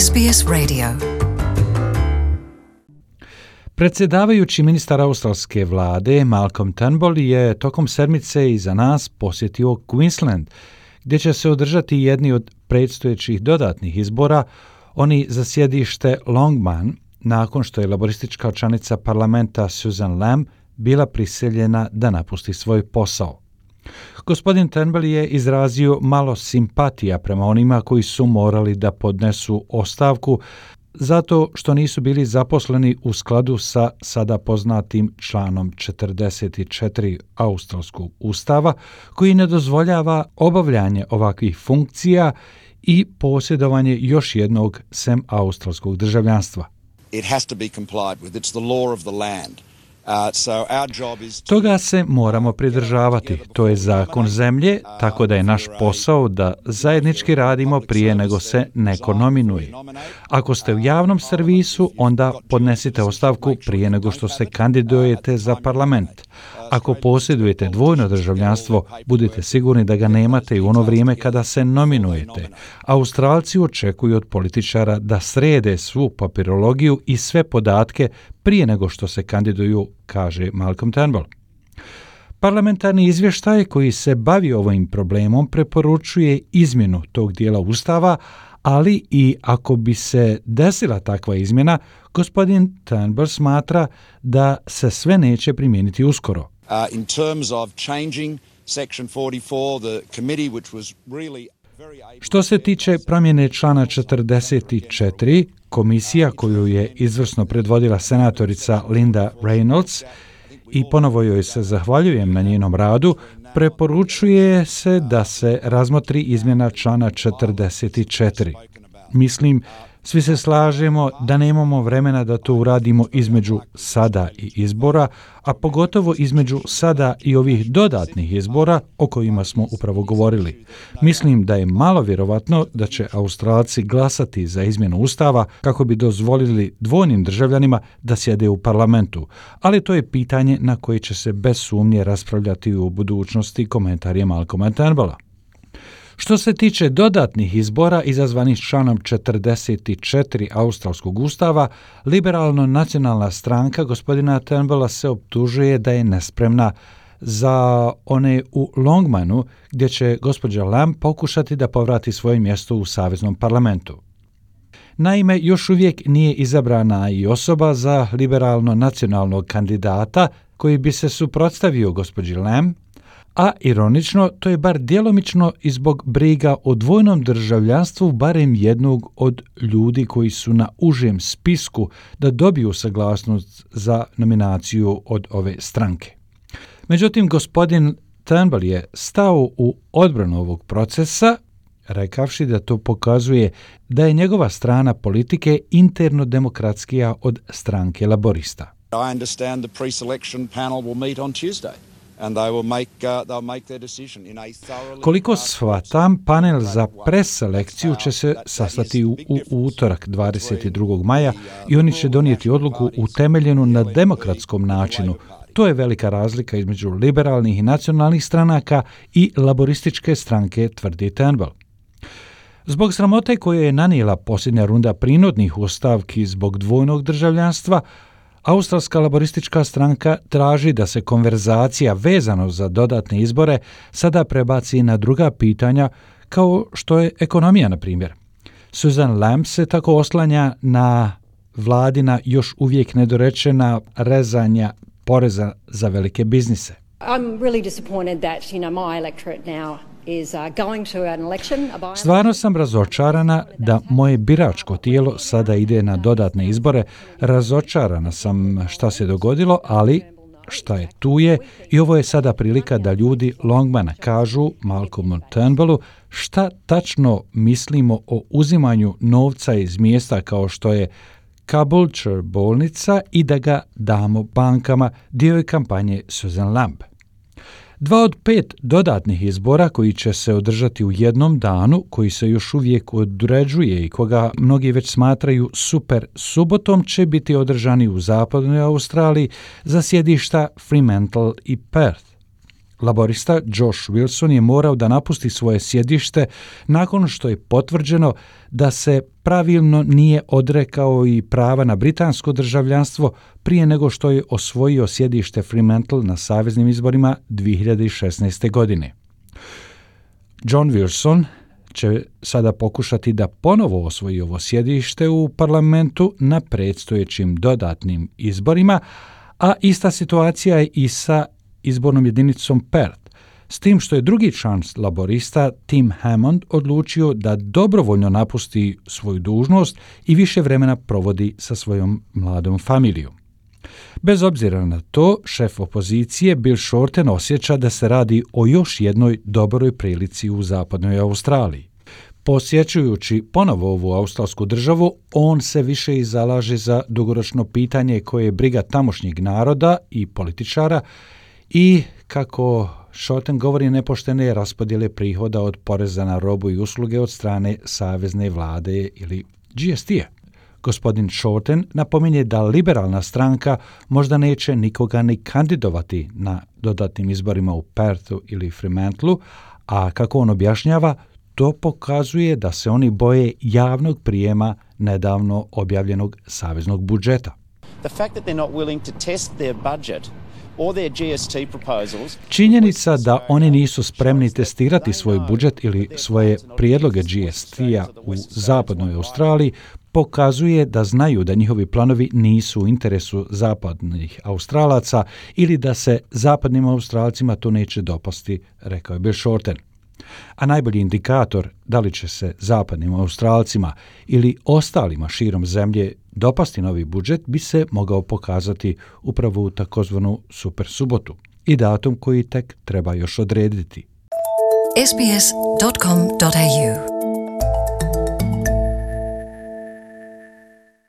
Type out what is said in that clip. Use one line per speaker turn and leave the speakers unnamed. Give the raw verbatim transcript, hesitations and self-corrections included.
S B S Radio.
Predsjedavajući ministar australske vlade Malcolm Turnbull je tokom sedmice iza nas posjetio Queensland, gdje će se održati jedni od predstojećih dodatnih izbora, oni za sjedište Longman, nakon što je laboristička članica parlamenta Susan Lamb bila prisiljena da napusti svoj posao. Gospodin Turnbull je izrazio malo simpatija prema onima koji su morali da podnesu ostavku zato što nisu bili zaposleni u skladu sa sada poznatim članom četrdeset četiri australskog ustava, koji ne dozvoljava obavljanje ovakvih funkcija i posjedovanje još jednog sem australskog državljanstva.
It has to be complied with. It's the law of the land. Uh, so our job is to...
Toga se moramo pridržavati. To je zakon zemlje, tako da je naš posao da zajednički radimo prije nego se neko nominuje. Ako ste u javnom servisu, onda podnesite ostavku prije nego što se kandidujete za parlament. Ako posjedujete dvojno državljanstvo, budite sigurni da ga nemate i u ono vrijeme kada se nominujete. Australci očekuju od političara da srede svu papirologiju i sve podatke prije nego što se kandiduju, kaže Malcolm Turnbull. Parlamentarni izvještaj koji se bavi ovim problemom preporučuje izmjenu tog dijela ustava, ali i ako bi se desila takva izmjena, gospodin Turnbull smatra da se sve neće primijeniti uskoro.
uh, in terms of changing section forty-four, the committee which was really very able...
Što se tiče promjene člana četrdeset četiri, komisija koju je izvrsno predvodila senatorica Linda Reynolds, i ponovo joj se zahvaljujem na njenom radu, preporučuje se da se razmotri izmjena člana četrdeset četiri. Mislim, svi se slažemo da nemamo vremena da to uradimo između sada i izbora, a pogotovo između sada i ovih dodatnih izbora o kojima smo upravo govorili. Mislim da je malo vjerovatno da će Australci glasati za izmjenu ustava kako bi dozvolili dvojnim državljanima da sjede u parlamentu, ali to je pitanje na koje će se bez sumnje raspravljati u budućnosti, komentar je Malcolma Turnbulla. Što se tiče dodatnih izbora izazvanih članom četrdeset četiri australskog ustava, liberalno-nacionalna stranka gospodina Turnbulla se optužuje da je nespremna za one u Longmanu, gdje će gospođa Lamb pokušati da povrati svoje mjesto u saveznom parlamentu. Naime, još uvijek nije izabrana i osoba za liberalno-nacionalnog kandidata koji bi se suprotstavio gospođi Lamb, a ironično, to je bar djelomično i zbog briga o dvojnom državljanstvu barem jednog od ljudi koji su na užem spisku da dobiju saglasnost za nominaciju od ove stranke. Međutim, gospodin Turnbull je stao u odbranu ovog procesa, rekavši da to pokazuje da je njegova strana politike interno demokratskija od stranke laborista.
I understand the pre-selection panel will meet on Tuesday. And they will make, uh, they'll make their decision in a thoroughly...
Koliko shvatam, panel za preselekciju će se sastati u, u utorak dvadeset drugog maja i oni će donijeti odluku utemeljenu na demokratskom načinu. To je velika razlika između liberalnih i nacionalnih stranaka i laborističke stranke, tvrdi Turnbull. Zbog sramote koje je nanijela posljednja runda prinudnih ostavki zbog dvojnog državljanstva, Australska laboristička stranka traži da se konverzacija vezano za dodatne izbore sada prebaci na druga pitanja kao što je ekonomija, na primjer. Susan Lamb se tako oslanja na vladina još uvijek nedorečena rezanja poreza za velike biznise.
I'm really disappointed that, you know, my electorate now is uh, going to an election.
Stvarno sam razočarana da moje biračko tijelo sada ide na dodatne izbore. Razočarana sam šta se dogodilo, ali šta je tu je i ovo je sada prilika da ljudi Longmana kažu Malcolmu Turnbullu šta tačno mislimo o uzimanju novca iz mjesta kao što je Caboolture bolnica i da ga damo bankama, dio je kampanje Susan Lamb. Dva od pet dodatnih izbora koji će se održati u jednom danu, koji se još uvijek određuje i koga mnogi već smatraju super subotom, će biti održani u zapadnoj Australiji za sjedišta Fremantle i Perth. Laborista Josh Wilson je morao da napusti svoje sjedište nakon što je potvrđeno da se pravilno nije odrekao i prava na britansko državljanstvo prije nego što je osvojio sjedište Fremantle na saveznim izborima dvije hiljade šesnaeste. godine. John Wilson će sada pokušati da ponovo osvoji ovo sjedište u parlamentu na predstojećim dodatnim izborima, a ista situacija je i sa izbornom jedinicom Perth, s tim što je drugi član laborista Tim Hammond odlučio da dobrovoljno napusti svoju dužnost i više vremena provodi sa svojom mladom familijom. Bez obzira na to, šef opozicije Bill Shorten osjeća da se radi o još jednoj dobroj prilici u zapadnoj Australiji. Posjećujući ponovo ovu australsku državu, on se više i zalaže za dugoročno pitanje koje je briga tamošnjeg naroda i političara i, kako Shorten govori, nepoštene raspodjele prihoda od poreza na robu i usluge od strane savezne vlade ili G S T-a. Gospodin Shorten napominje da liberalna stranka možda neće nikoga ni kandidovati na dodatnim izborima u Perthu ili Fremantleu, a kako on objašnjava, to pokazuje da se oni boje javnog prijema nedavno objavljenog saveznog budžeta.
The fact that they're not willing to test their budget or their G S T proposals.
Činjenica da oni nisu spremni testirati svoj budžet ili svoje prijedloge G S T-a u zapadnoj Australiji pokazuje da znaju da njihovi planovi nisu u interesu zapadnih Australaca ili da se zapadnim Australcima to neće dopasti, rekao je Bill Shorten. A najbolji indikator da li će se zapadnim Australcima ili ostalima širom zemlje dopasti novi budžet bi se mogao pokazati upravo u takozvanu super subotu i datum koji tek treba još odrediti.
S B S dot com dot A U